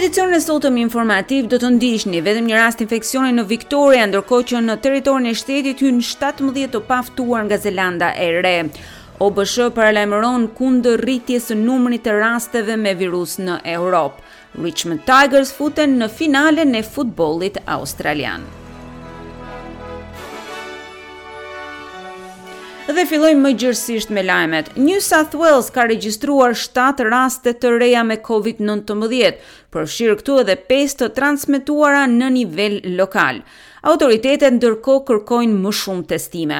edicionin e sotëm informativ do të ndiqni vetëm një rast infeksioni në Victoria, ndërkohë që në territorin e shtetit hynë 17 të paftuar nga Zelanda e Re. OBSH paralajmëron kundër rritjes së numrit të rasteve me virus në Europë. Richmond Tigers futen në finalen e futbollit australian. Dhe fillojmë më gjerësisht me lajmet. New South Wales ka regjistruar 7 raste të reja me COVID-19, përfshirë këtu edhe 5 të transmetuara në nivel lokal. Autoritetet ndërkohë kërkojnë më shumë testime.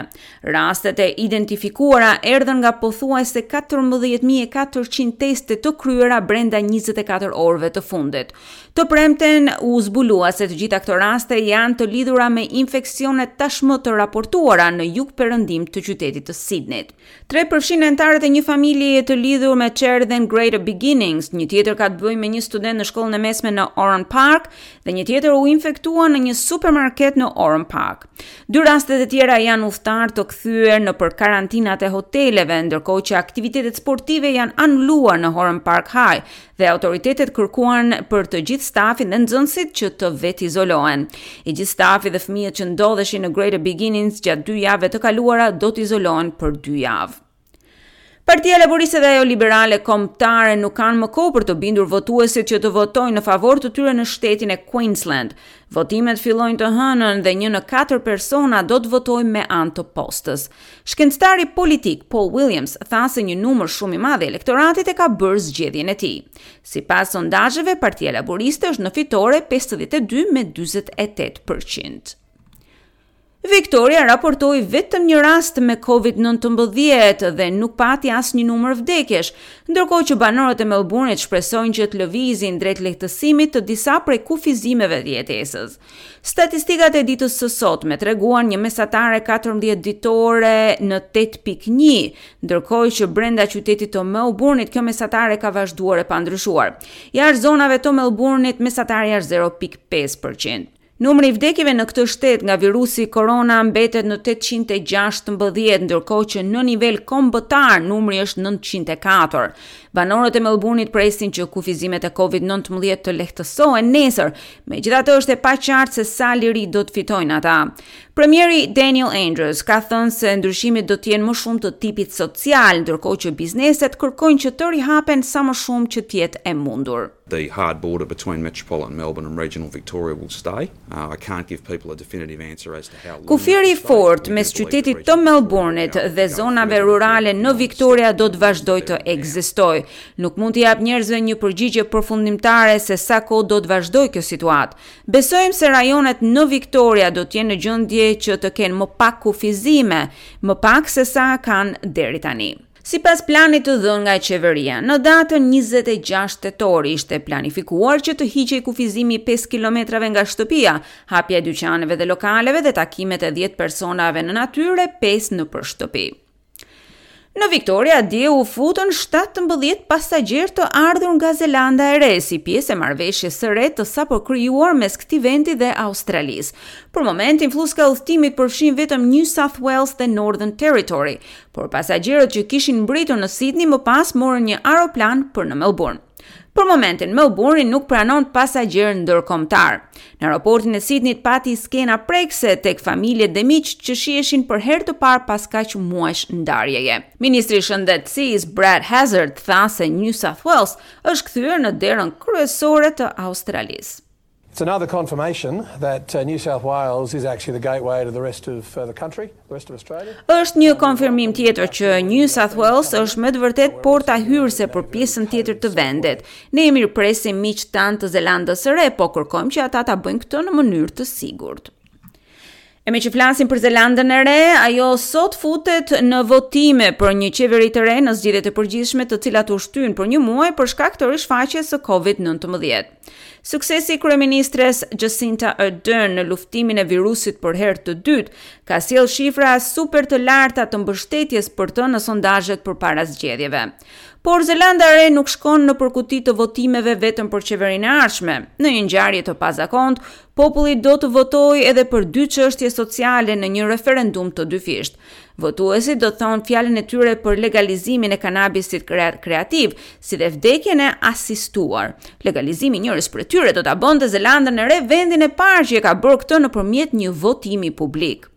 Rastet e identifikuara erdhën nga pothuajse 14.400 teste të kryera brenda 24 orëve të fundit. Të premten u zbulua se të gjitha këto raste janë të lidhura me infeksionet tashmë të raportuara në jugperëndim të qytetit të Sydneyt. Tre përfshijnë anëtarët e një familjeje të lidhur me çerdhen Greater Beginnings, një tjetër ka të bëjë me një student në shkollën e mesme në Oran Park dhe një tjetër u infektua në një supermarket në Oran Park. Dy rastet e tjera janë udhëtarë të kthyer nëpër karantinat e hoteleve, ndërkohë që aktivitetet sportive janë anuluar në Oran Park High dhe autoritetet kërkuan për të gjithë stafin dhe nxënësit që të vetizolohen. I gjithë stafi dhe fëmijët që ndodheshin në Greater Beginnings gjatë dy javëve të kaluara do të izolohen për dy javë. Partia Laburiste dhe ajo Liberale Kombëtare nuk kanë më kohë për të bindur votuesit që të votojnë në favor të tyre në shtetin e Queensland. Votimet fillojnë të hënën dhe një në katër persona do të votojë me anë të postës. Shkencëtari politik Paul Williams tha se një numër shumë i madh i elektoratit e ka bërë zgjedhjen e tij. Sipas sondazheve, Partia Laburiste është në fitore 52 me 48 për qind. Victoria raportoi vetëm një rast me COVID-19 dhe nuk pati asnjë numër vdekjesh, ndërkohë që banorët e Melbourne-it shpresojnë që të lëvizin drejt lehtësimit të disa prej kufizimeve të jetesës. Statistikat e ditës së sotme treguan një mesatare 14 ditore në 8.1, ndërkohë që brenda qytetit të Melbourne-it kjo mesatare ka vazhduar e pandryshuar. Jashtë zonave të Melbourne-it mesatarja është 0.5%. Numri i vdekjeve në këtë shtet nga virusi korona mbetet në 816, ndërkohë që në nivel kombëtar numri është 904. Banorët e Melbourne-it presin që kufizimet e COVID-19 të lehtësohen nesër, megjithatë është e paqartë se sa liri do të fitojnë ata. Premieri Daniel Andrews ka thënë se ndryshimet do të jenë më shumë të tipit social, ndërkohë që bizneset kërkojnë që të rihapen sa më shumë që të jetë e mundur. The hard border between metropolitan Melbourne and regional Victoria will stay. Uh, I can't give people a definitive answer as to how long. Kufiri i fortë mes qytetit të Melbourne-it dhe zonave rurale në Victoria do të vazhdojë të ekzistojë. Nuk mund t'i jap njerëzve një përgjigje përfundimtare se sa kohë do të vazhdojë kjo situatë. Besojmë se rajonet në Victoria do të jenë në gjendje që të kenë më pak kufizime, më pak se sa kanë deri tani. Sipas planit të dhënë nga qeveria, në datën 26 tetor ishte planifikuar që të hiqej kufizimi i 5 kilometrave nga shtëpia, hapja e dyqaneve dhe lokaleve dhe takimet e 10 personave në natyrë e 5 nëpër shtëpi. Në Victoria dje u futën 17 pasagjerë të ardhur nga Zelanda e Re si pjesë e marrëveshjes së re të sapo krijuar mes këtij vendi dhe Australisë. Për momentin flluska e udhëtimit përfshin vetëm New South Wales dhe Northern Territory, Por pasagjerët që kishin mbërritur në Sydney më pas morën një aeroplan për në Melbourne. Për momentin, Melbourne nuk pranon pasagjerë ndërkombëtar. Në aeroportin e Sydneyt pati skena prekëse tek familjet dhe miqtë që shiheshin për herë të parë pas kaq muajsh ndarjeje. Ministri i Shëndetësisë Brad Hazzard tha se New South Wales është kthyer në derën kryesore të Australisë. It's another confirmation that uh, New South Wales is actually the gateway to the rest of uh, the country, the rest of Australia. Është një konfirmim tjetër që New South Wales është me të vërtetë porta hyrëse për pjesën tjetër të vendit. Ne i mirëpresim miqtë tanë të Zelandës së Re, po kërkojmë që ata ta bëjnë këtë në mënyrë të sigurt. E meqë flasim për Zelandën e Re, ajo sot futet në votime për një qeveri të re në zgjedhjet e përgjithshme të cilat u shtynë për një muaj për shkak të rishfaqjes së COVID-19. Suksesi i kryeministres Jacinda Ardern në luftimin e virusit për herë të dytë ka sjellë shifra super të larta të mbështetjes për të në sondazhet përpara zgjedhjeve. Por Zelanda e Re nuk shkon nëpër kuti të votimeve vetëm për qeverinë e ardhshme. Në një ngjarje të pazakontë, populli do të votojë edhe për dy çështje sociale në një referendum të dyfishtë. Votuesit do të thonë fjalën e tyre për legalizimin e kanabisit rekreativ, si dhe vdekjen e asistuar. Legalizimi i njërës prej tyre do ta bënte Zelandën e Re vendin e parë që e ka bërë këtë nëpërmjet një votimi publik.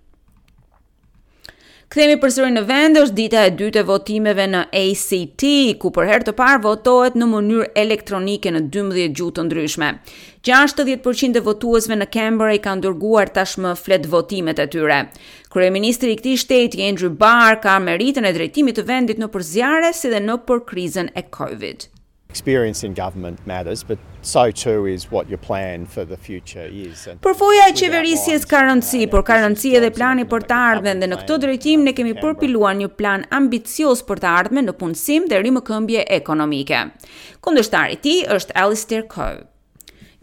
Kthehemi përsëri në vend, është dita e dytë e votimeve në ACT, ku për herë të parë votohet në mënyrë elektronike në 12 gjuhë të ndryshme. 60% e votuesve në Canberra i kanë dërguar tashmë fletëvotimet e tyre. Kryeministri i këtij shteti, Andrew Barr, ka meritën e drejtimit të vendit nëpër zjarre si dhe nëpër krizën e Covid. Experience in government matters, but so too is what your plan for the future is. Përvoja e qeverisjes ka rëndësi, por ka rëndësi edhe plani për të ardhmen dhe në këtë drejtim ne kemi përpiluar një plan ambicioz për të ardhmen në punësim dhe rimëkëmbje ekonomike. Kundërshtari i tij është Alistair Coe.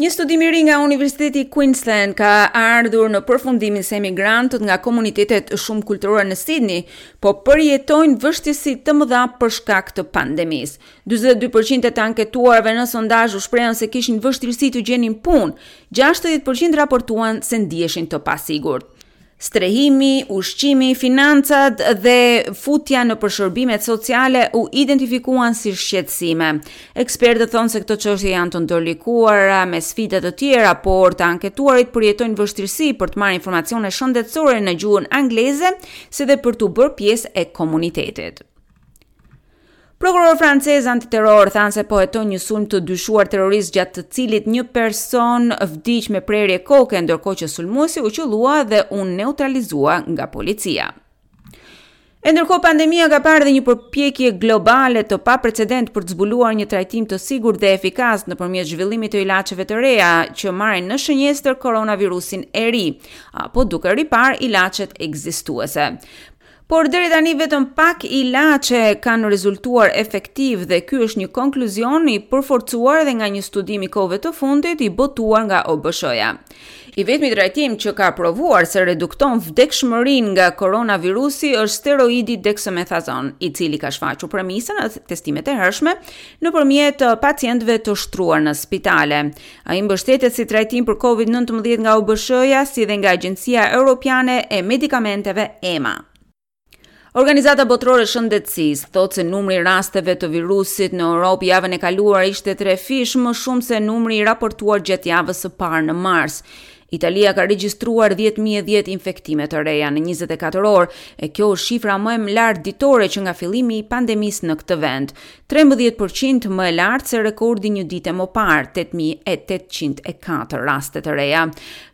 Një studim i ri nga Universiteti i Queensland ka ardhur në përfundimin se emigrantët nga komunitetet shumëkulturore në Sydney po përjetojnë vështirësi të mëdha për shkak të pandemisë. 42% e të anketuarve në sondazh u shprehën se kishin vështirësi të gjenin punë, 60% raportuan se ndiheshin të pasigurt. Strehimi, ushqimi, financat dhe futja nëpër shërbimet sociale u identifikuan si shqetësime. Ekspertët thonë se këto çështje janë të ndërlikuara me sfida të tjera, por të anketuarit përjetojnë vështirësi për të marrë informacione shëndetësore në gjuhën angleze, si dhe për t'u bërë pjesë e komunitetit. Prokurorët francezë antiterror thanë se po hetojnë një sulm të dyshuar terrorist gjatë të cilit një person vdiq me prerje koke, ndërkohë që sulmuesi u qëllua dhe u neutralizua nga policia. E ndërkohë pandemia ka parë dhe një përpjekje globale të paprecedent për të zbuluar një trajtim të sigurt dhe efikas nëpërmjet zhvillimit të ilaçeve të reja që marrin në shënjestër koronavirusin e ri, apo duke riparë ilaçet ekzistuese. Por deri tani vetëm pak ilaçe kanë rezultuar efektiv dhe ky është një konkluzion i përforcuar edhe nga një studim i kohëve të fundit i botuar nga OBSH-ja. I vetmi trajtim që ka provuar se redukton vdekshmërinë nga koronavirusi është steroidi dexamethasone, i cili ka shfaqur premisën në testimet e hershme nëpërmjet pacientëve të shtruar në spitale. Ai mbështetet si trajtim për Covid-19 nga OBSH-ja si dhe nga Agjencia Europiane e Medikamenteve EMA. Organizata Botërore e Shëndetësisë thotë se numri i rasteve të virusit në Europë javën e kaluar ishte trefish më shumë se numri i raportuar gjatë javës së parë në mars. Italia ka regjistruar 10.010 infektime të reja në 24 orë, e kjo është shifra më e lartë ditore që nga fillimi i pandemisë në këtë vend. 13% më e lartë se rekordi një ditë më parë, 8804 raste të reja.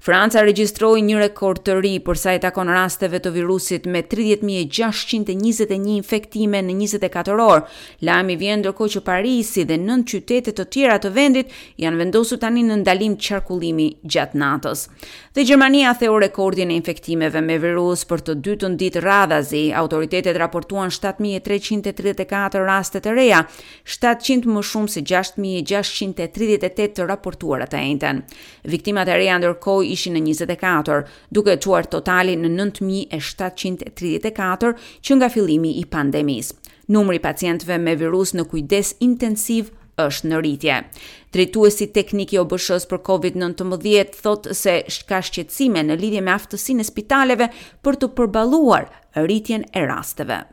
Franca regjistroi një rekord të ri për sa i takon rasteve të virusit me 30621 infektime në 24 orë. Lajmi vjen ndërkohë që Parisi dhe nëntë qytete të tjera të vendit janë vendosur tani në ndalim qarkullimi gjatë natës. Dhe Gjermania theu rekordin e infektimeve me virus për të dytën ditë radhazi. Autoritetet raportuan 7334 raste të reja, 700 më shumë se 6638 të raportuara të enjten. Viktimat e reja ndërkohë ishin në 24, duke çuar totalin në 9734 që nga fillimi i pandemisë. Numri i pacientëve me virus në kujdes intensiv është në rritje. Drejtuesi teknik i OBSH-së për COVID-19 thotë se ka shqetësime në lidhje me aftësinë e spitaleve për të përballuar rritjen e rasteve.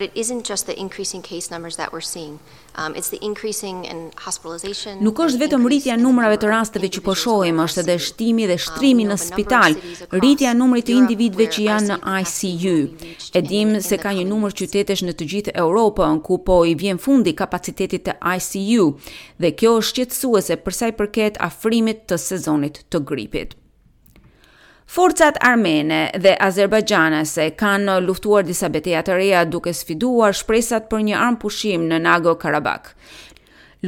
It isn't just the increasing case numbers that we're seeing. Um, it's the increasing in hospitalization. Nuk është vetëm rritja e numrave të rasteve që po shohim, është edhe shtimi dhe shtrimi në spital, rritja e numrit të individëve që janë në ICU. E dimë se ka një numër qytetesh në të gjithë Europën ku po i vjen fundi kapacitetit të ICU dhe kjo është shqetësuese për sa i përket afrimit të sezonit të gripit. Forcat armene dhe azerbajxhanase kanë luftuar disa beteja të reja duke sfiduar shpresat për një armëpushim në Nagorno-Karabakh.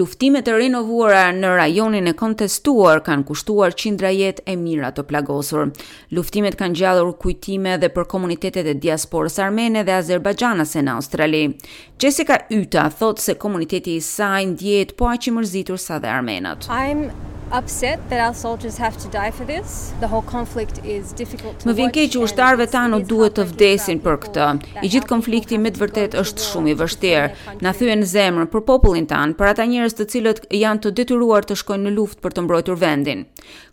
Luftimet e rinovuara në rajonin e kontestuar kanë kushtuar qindra jetë e mijëra të plagosur. Luftimet kanë ngjallur kujtime edhe për komunitetet e diasporës armene dhe azerbajxhanase në Australi. Jessica Yta thotë se komuniteti i saj ndjehet po aq i mërzitur sa dhe armenët. I'm. upset that our soldiers have to die for this. The whole conflict is difficult to watch. Më vjen keq që ushtarëve tanë u duhet të vdesin për këtë. I gjithë konflikti me të vërtetë është shumë i vështirë. Na thyen zemrën për popullin tanë, për ata njerëz të cilët janë të detyruar të shkojnë në luftë për të mbrojtur vendin.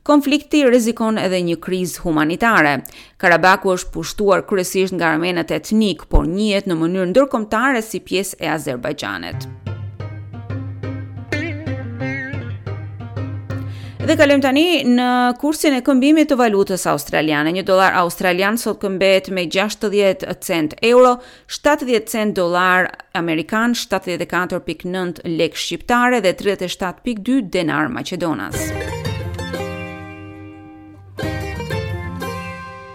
Konflikti rrezikon edhe një krizë humanitare. Karabaku është pushtuar kryesisht nga armenët etnikë, por njihet në mënyrë ndërkombëtare si pjesë e Azerbajxhanit. Dhe kalojmë tani në kursin e këmbimit të valutës australiane. Një dollar australian sot këmbehet me 60 cent euro, 70 cent dollar amerikan, 74.9 lek shqiptare dhe 37.2 denar maqedonas.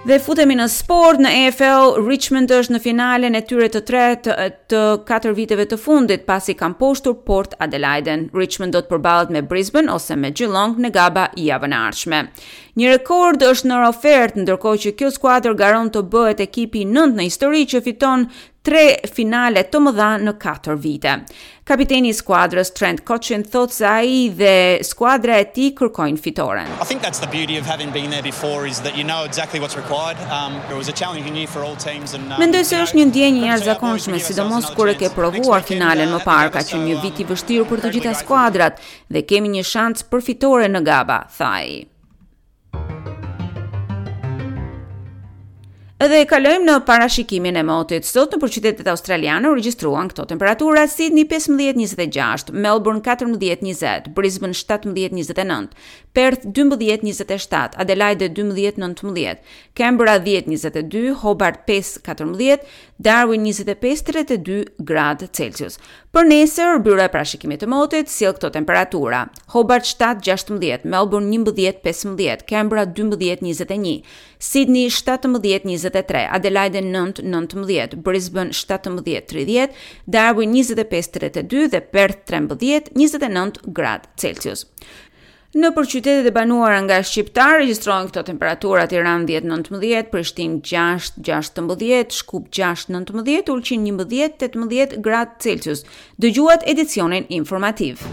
Dhe futemi në sport, në AFL, Richmond është në finalen e tyre të tretë të katër viteve të fundit, pasi kanë mposhtur Port Adelaide. Richmond do të përballet me Brisbane ose me Geelong në Gabba javën e ardhshme. Një rekord është në ofertë, ndërkohë që kjo skuadër garon të bëhet ekipi i nëntë në histori që fiton tre finale të mëdha në katër vite. Kapiteni i skuadrës Trent Cotchin thotë se ai dhe skuadra e tij kërkojnë fitoren. I think that's the beauty of having been there before is that you know exactly what's required. Um, it was a challenging year for all teams and um, Mendoj se është një ndjenjë e jashtëzakonshme, sidomos kur e ke provuar finalen më parë, ka qenë një vit i vështirë për të gjitha skuadrat dhe kemi një shans për fitore në Gabba, tha ai. Dhe kalojmë në parashikimin e motit. Sot nëpër qytetet australiane u regjistruan këto temperatura: Sydney 15-26, Melbourne 14-20, Brisbane 17-29, Perth 12-27, Adelaide 12-19, Canberra 10-22, Hobart 5-14, Darwin 25-32 gradë Celsius. Për nesër, Byroja e Parashikimit të Motit sjell këto temperatura: Hobart 7 16, Melbourne 11 15, Canberra 12 21, Sydney 17 23, Adelaide 9 19, Brisbane 17 30, Darwin 25 32 dhe Perth 13 29 gradë Celsius. Nëpër qytetet e banuara nga shqiptarë regjistrohen këto temperatura: Tiranë 10-19, Prishtinë 6-16, Shkup 6-19, Ulqin 11-18 gradë Celsius. Dëgjuat edicionin informativ.